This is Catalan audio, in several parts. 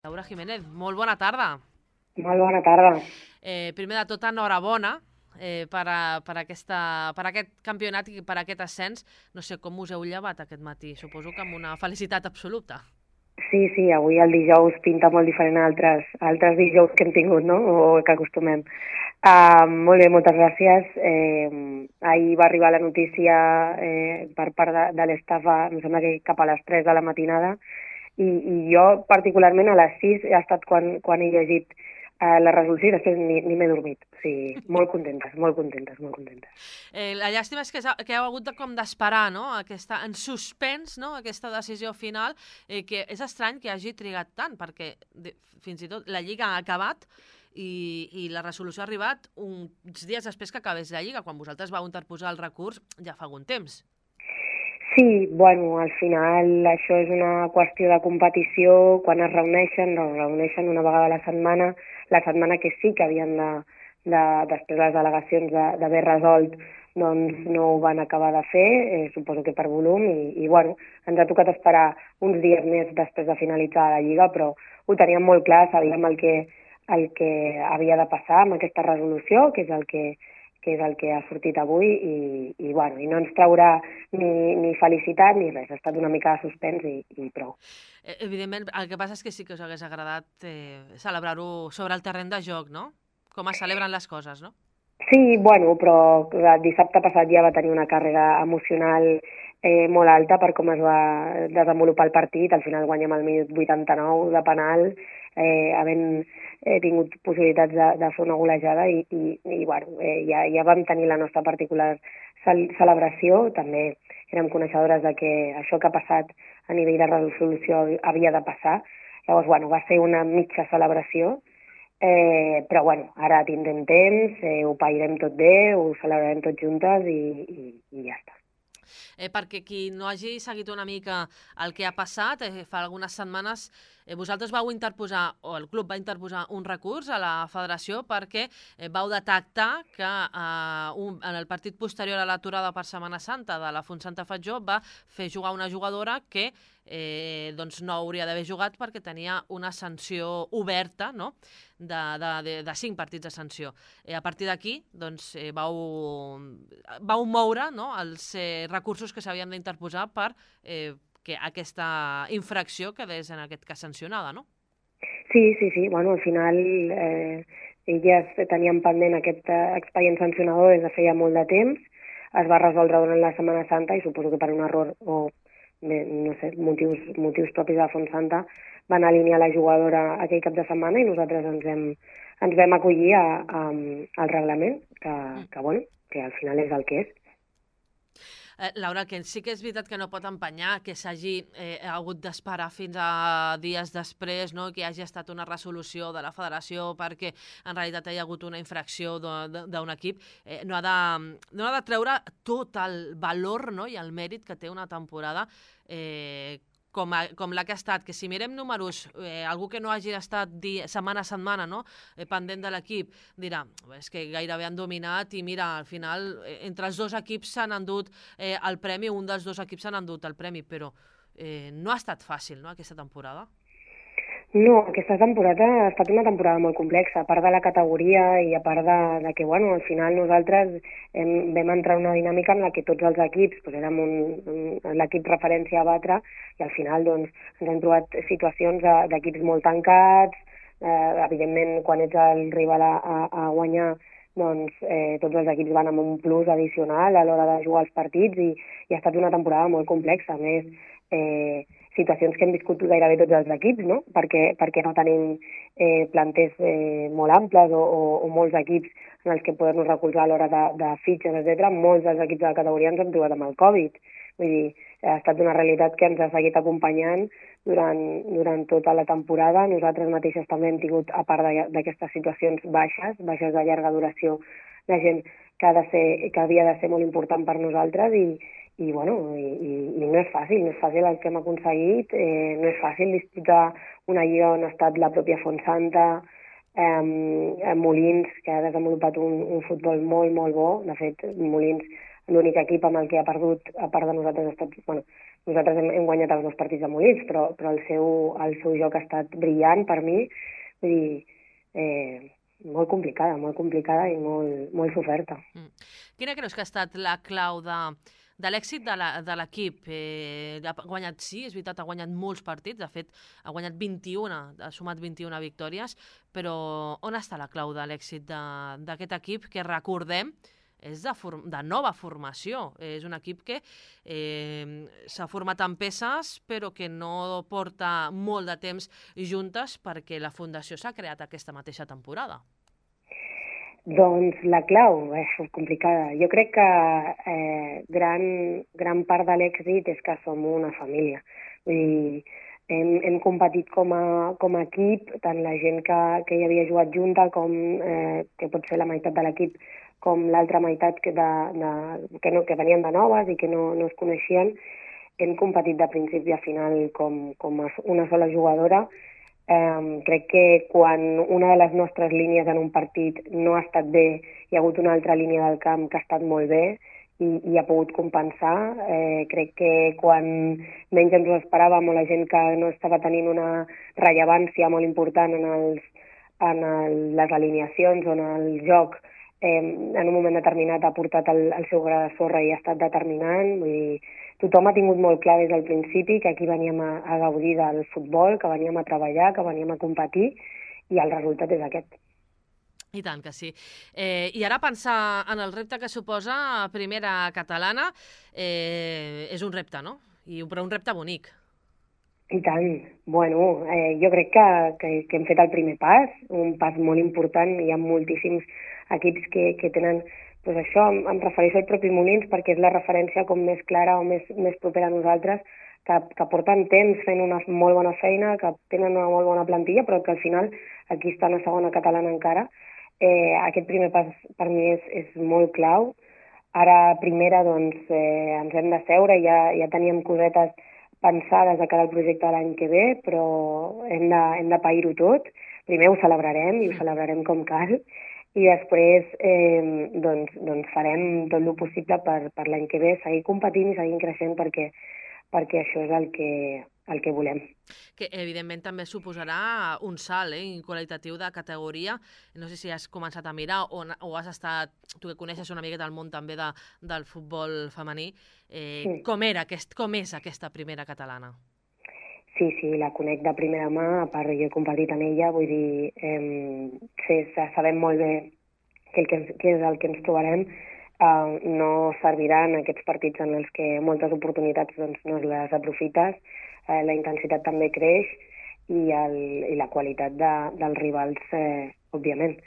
Laura Jiménez, molt bona tarda. Molt bona tarda. Primer de tot, enhorabona per aquest campionat i per aquest ascens. No sé com us heu llevat aquest matí, suposo que amb una felicitat absoluta. Sí, avui el dijous pinta molt diferent a altres dijous que hem tingut, no? O que acostumem. Molt bé, moltes gràcies. Ahir va arribar la notícia per part de l'estafa, em sembla que cap a les 3 de la matinada, i jo particularment a les 6 ha estat quan he llegit la resolució i després ni m'he dormit. O sigui, molt contentes, molt contentes, molt contentes. La llàstima és que heu hagut d'esperar, no? En suspens, no? Aquesta decisió final, que és estrany que hagi trigat tant, perquè fins i tot la Lliga ha acabat i la resolució ha arribat uns dies després que acabés la Lliga. Quan vosaltres vau interposar el recurs ja fa algun temps. Sí, bueno, al final això és una qüestió de competició. Quan es reuneixen una vegada a la setmana que sí que havien després les delegacions d'haver resolt, doncs no ho van acabar de fer, suposo que per volum, i bueno, ens ha tocat esperar uns dies més després de finalitzar la Lliga, però ho teníem molt clar, sabíem el que havia de passar amb aquesta resolució, que és el que ha sortit avui, i no ens traurà ni felicitat ni res. Ha estat una mica de suspens i prou. Evidentment, el que passa és que sí que us hagués agradat celebrar-ho sobre el terreny de joc, no? Com es celebren les coses, no? Sí, bueno, però el dissabte passat ja va tenir una càrrega emocional molt alta per com es va desenvolupar el partit. Al final guanyem al minut 89 de penal, havent tingut possibilitats de fer una golejada i bueno, ja vam tenir la nostra particular celebració. També érem coneixedores de que això que ha passat a nivell de resolució havia de passar. Llavors, bueno, va ser una mitja celebració, però bueno, ara tindrem temps, ho pairem tot bé, ho celebrarem tots juntes i ja està. Perquè qui no hagi seguit una mica el que ha passat, fa algunes setmanes vosaltres vau interposar, o el club va interposar un recurs a la federació perquè vau detectar que en el partit posterior a l'aturada per Setmana Santa de la Fontsanta Fatjó va fer jugar una jugadora que doncs no hauria d'haver jugat perquè tenia una sanció oberta, no?, de 5 partits de sanció. A partir d'aquí doncs, vau moure, no?, els recursos que s'havien d'interposar per que aquesta infracció quedés en aquest cas sancionada, no? Sí. Bueno, al final elles tenien pendent aquest expedient sancionador des de feia molt de temps. Es va resoldre durant la Setmana Santa i suposo que per un error o no sé, motius propis de la Fontsanta van alinear la jugadora aquell cap de setmana i nosaltres ens vam acollir al reglament, que al final és el que és. Laura, que sí que és veritat que no pot empenyar que s'hagi hagut d'esperar fins a dies després, no?, que hi hagi estat una resolució de la federació perquè en realitat hi ha hagut una infracció d'un equip. No ha de treure tot el valor, no?, i el mèrit que té una temporada com la que ha estat, que si mirem números, algú que no hagi estat setmana a setmana, no?, pendent de l'equip, dirà, és que gairebé han dominat i mira, al final, entre els dos equips s'han endut el premi, un dels dos equips s'han endut el premi, però no ha estat fàcil, no?, aquesta temporada. No, aquesta temporada ha estat una temporada molt complexa, a part de la categoria i a part de que, bueno, al final nosaltres vam entrar en una dinàmica en la que tots els equips érem l'equip referència a batre i al final doncs, ens hem trobat situacions d'equips molt tancats, evidentment quan ets el rival a guanyar doncs tots els equips van amb un plus addicional a l'hora de jugar els partits i ha estat una temporada molt complexa. A més, situacions que hem viscut gairebé tots els equips, no? Perquè no tenim planters molt amples o molts equips en els que poder-nos recolzar a l'hora de fitxes, etc. Molts dels equips de la categoria ens hem trobat amb el Covid. Vull dir, ha estat una realitat que ens ha seguit acompanyant durant tota la temporada. Nosaltres mateixes també hem tingut, a part d'aquestes situacions baixes de llarga duració, de gent que havia de ser molt important per nosaltres i no és fàcil, el que hem aconseguit, no és fàcil disputar una lliga on ha estat la pròpia Fontsanta, Molins, que ha desenvolupat un futbol molt, molt bo. De fet, Molins, l'únic equip amb el que ha perdut, a part de nosaltres, ha estat nosaltres hem guanyat els 2 partits de Molins, però el seu joc ha estat brillant per mi, vull dir, molt complicada i molt soferta. Quina creus que ha estat la clau de l'èxit de l'equip? Ha guanyat, sí, és veritat, ha guanyat molts partits, de fet, ha guanyat 21, ha sumat 21 victòries, però on està la clau de l'èxit d'aquest equip que, recordem, és de nova formació? És un equip que s'ha format en peces, però que no porta molt de temps juntes perquè la Fundació s'ha creat aquesta mateixa temporada. Doncs la clau és complicada. Jo crec que gran part de l'èxit és que som una família. Vull dir, hem competit com a equip, tant la gent que hi havia jugat junta, com que pot ser la meitat de l'equip, com l'altra meitat que venien de noves i que no es coneixien. Hem competit de principi a final com una sola jugadora. Crec que quan una de les nostres línies en un partit no ha estat bé, hi ha hagut una altra línia del camp que ha estat molt bé i ha pogut compensar. Crec que quan menys ens ho esperàvem o la gent que no estava tenint una rellevància molt important en les alineacions o en el joc, en un moment determinat ha portat el seu gra de sorra i ha estat determinant. Vull dir, tothom ha tingut molt clar des del principi que aquí veníem a gaudir del futbol, que veníem a treballar, que veníem a competir, i el resultat és aquest. I tant que sí. I ara pensar en el repte que suposa primera catalana és un repte, no? Però un repte bonic. I tant. Bueno, jo crec que hem fet el primer pas, un pas molt important. Hi ha moltíssims equips que tenen, doncs això, em refereixo al propi Molins perquè és la referència com més clara o més propera a nosaltres, que porten temps fent una molt bona feina, que tenen una molt bona plantilla, però que al final aquí estan a segona catalana encara. Aquest primer pas per mi és molt clau. Ara, primera, doncs, ens hem de seure, ja teníem cosetes pensades de cara al projecte de l'any que ve, però hem de pair-ho tot. Primer ho celebrarem, i ho celebrarem com cal, i després doncs farem tot el possible per l'any que ve seguir competint i seguir creixent perquè això és el que volem. Que evidentment també suposarà un salt qualitatiu de categoria. No sé si has començat a mirar o has estat, tu que coneixes una miqueta el món també del futbol femení, com és aquesta primera catalana? Sí, la conec de primera mà, a part jo he competit en ella, vull dir, sabem molt bé què és el que ens trobarem. No serviran aquests partits en els que moltes oportunitats doncs, no les aprofites, la intensitat també creix i la qualitat dels rivals, òbviament.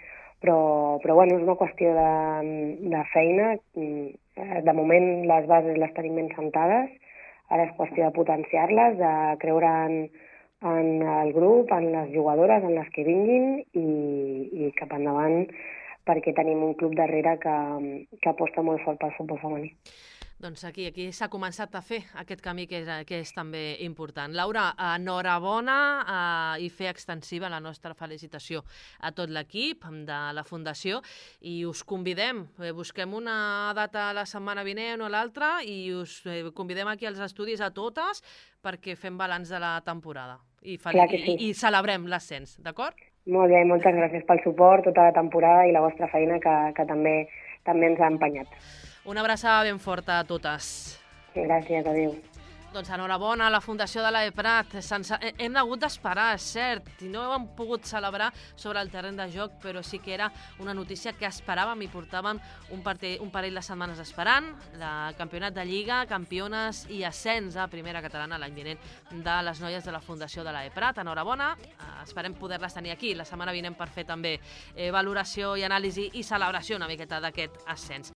Però bueno, és una qüestió de feina. De moment les bases les tenim ben sentades, ara és qüestió de potenciar-les, de creure en el grup, en les jugadores, en les que vinguin i cap endavant, perquè tenim un club darrere que aposta molt fort pel futbol femení. Doncs aquí s'ha començat a fer aquest camí que és també important. Laura, enhorabona i fer extensiva la nostra felicitació a tot l'equip de la Fundació i us convidem, busquem una data la setmana vinent o l'altra i us convidem aquí als estudis a totes perquè fem balanç de la temporada i celebrem l'ascens, d'acord? Molt bé, moltes gràcies pel suport tota la temporada i la vostra feina que també ens ha empenyat. Una abraçada ben forta a totes. Gràcies, adéu. Doncs enhorabona a la Fundació de l'AEPRAT. Hem hagut d'esperar, és cert, i no hem pogut celebrar sobre el terreny de joc, però sí que era una notícia que esperàvem i portàvem un parell de setmanes esperant. El campionat de Lliga, campiones i ascens a primera catalana l'any vinent de les noies de la Fundació de l'AEPRAT. Enhorabona, esperem poder-les tenir aquí la setmana vinent per fer també valoració i anàlisi i celebració una miqueta d'aquest ascens.